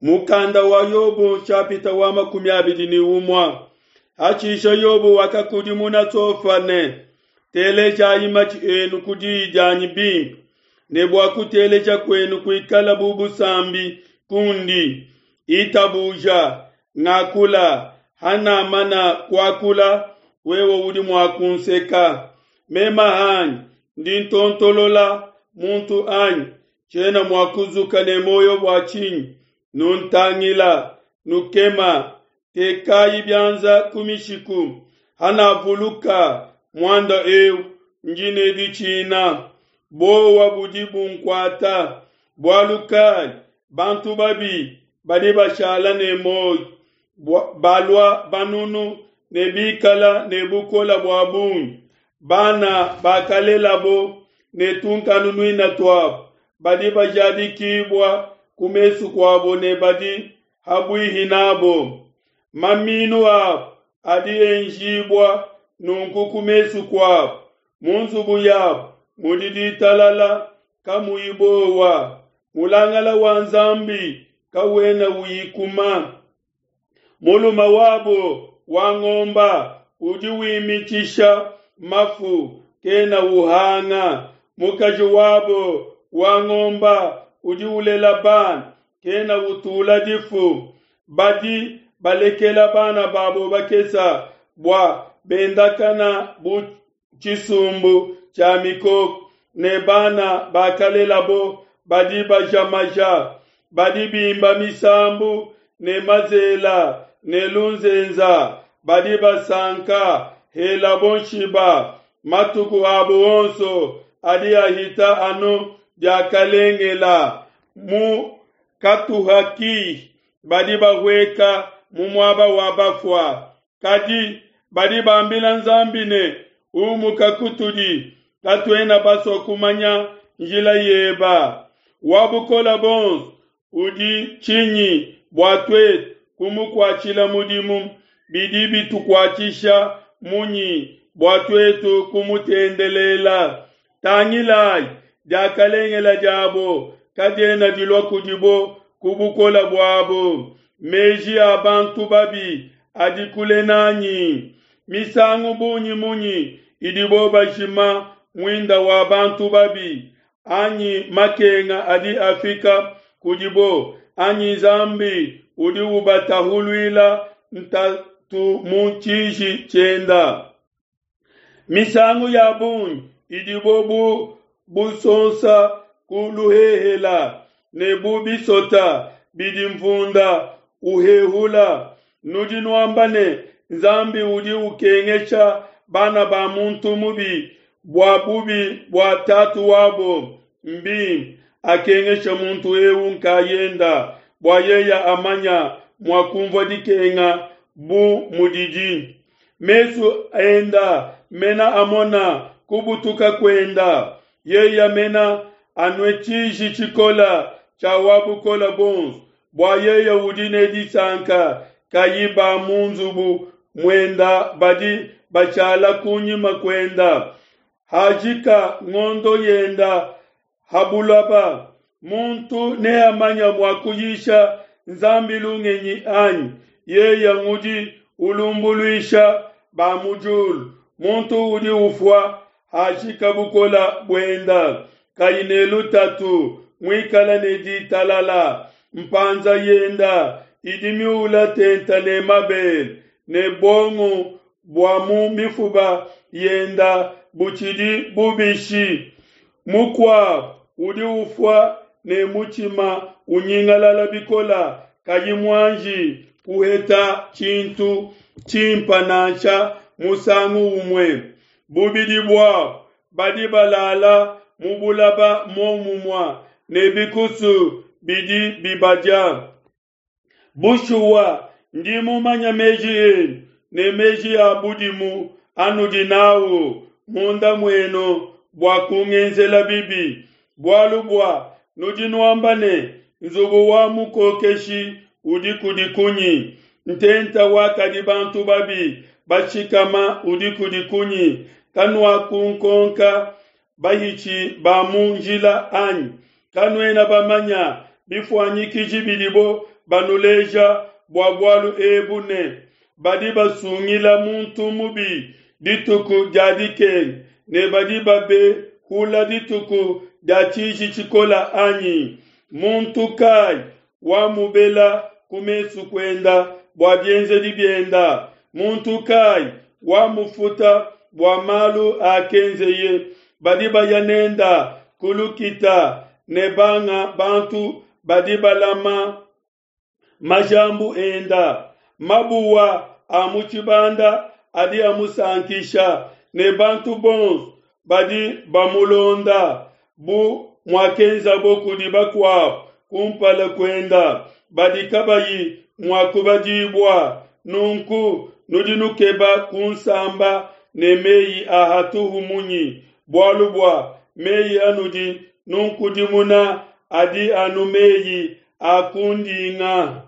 Mukanda wa Yobo nshapita wa 21. Hashishe Yobo wakakudimuna Sofa ne, Telejayi matshi enu ku diyi dianyi bimpe, ne bua kuteleja kuenu kuikala bu busambi kundi. Itabuja, ngakula, hanamana kuakula, wewe udi mua kunseka. Mema hanyi ndi ntontolola muntu anyi? Tshiena mua kuzuka ne muoyo bua tshinyi? Nuntangila, nukema, tekayi bianza ku mishiku. Hanavuluka muanda eu, ndi ne ditshina, buowa budi bunkuata. Bualu kai bantu babi badi bashala ne muoyo, balua banunu ne bikala ne bukole bua bungi? Bana bakalelabo ne tunkanunuina tuabo badi bajadikibua ku mesu kuabo ne badi habuihi nabo. Maminu abo adi enjibua nunku ku mesu kuabo. Mu nzubu yabo mudi ditalala kamuyi buowa. Mulangala wa Nzambi kawena uyikuma. Mulume wabo wa ngomba udi wimitshisha mafu kena uhanga. Mukaji wabo wa ngomba udi ulela bana kena utula difu. Badi balekela bana babo bakesa bua bendakana bu tshisumbu tshia mikoko, ne bana bakalelabo badi baja maja. Badi bimba misambu ne mazela ne lunzenza, badi basanka helabo nshiba. Matuku abo onso adi ahita anu diakalengela. Mu katuha kihi badi bahueka mu muaba wa bafua. Kadi badi bambila Nzambi ne, Umuka kutudi, katuena basua kumanya njila yeba. Wa Bukole Buonso udi tshinyi bua tuetu kumukuatshila mudimu? Bidi bitukuatshisha munyi bua tuetu kumutendelela? Tangilayi, diakalengela diabo kadiena dilua kudibo ku bukole buabo. Meji a bantu babi adi kule nanyi. Misangu bungi munyi idibo bajima muinda wa bantu babi, anyi makenga adi afika kudibo, anyi Nzambi udi ubatahuluila ntatu mu tshiji tshienda. Misangu ya bungi idibo bu busonsa ku luhehela ne bu bisota bidi mvunda uhehula. Nudi nuamba ne, Nzambi udi ukengesha bana ba muntu mubi bua bubi bua tatu wabo. Mbimpe akengeshe muntu eu nkayenda, bua yeya amanya mua kumvua dikenga bu mudidi. Mesu enda mena amona kubutuka kuenda, yeya mena anue tshiji tshikola tshia wa Bukole Buonso, bua yeya udi ne disanka kayi ba mu nzubu muenda badi bashala kunyima kuenda. Hajika ngondo yenda ha bulaba, muntu neamanya mua kuyisha Nzambi lungenyi anyi? Yeya ngudi ulumbuluisha ba mu diulu. Muntu udi ufua hajika bukola buenda, kayi ne lutatu, muikala ne ditalala. Mpanza yenda idi miula tenta ne mabele, ne buongo bua mu mifuba yenda butshidi bubishi. Mukuabu udi ufua ne mutshima unyingalala bikola, kayi muanji kuheta tshintu tshimpa nansha musangu umue. Bubidi buabu badi balala mu bulaba muomumue ne bikusu bidi bibadia. Bushuwa, ndi mumanya meji enu ne meji a budimu anudi nawu munda muenu bua kungenzela bibi. Bualu bua nudi nuamba ne, Nzubu wa mukokeshi udi kudi kunyi? Ntenta wakadi bantu babi bashikama udi kudi kunyi? Kanuakunkonka bahitshi ba mu njila anyi? Kanuena bamanya bifuanyikiji bidibo banuleja bua bualu ebu ne, Badi basungila muntu mubi dituku dia dikenga, ne badi babehula dituku dia tshiji tshikole anyi? Muntu kai wamubela ku mesu kuenda bua bienzedi bienda? Muntu kai wamufuta bua malu akenzeye? Badi baya nenda ku lukita ne banga bantu badi balama majambu enda. Mabuwa a mu tshibanda adi amusankisha, ne bantu bonso badi bamulonda, bu muakenzabo kudi bakuabo kumpala kuenda, badi kabayi mua kubadibua. Nunku nudi nukeba kunsamba ne meyi a hatuhu munyi? Bualu bua meyi anudi nunkudimuna adi anu meyi a kundinga.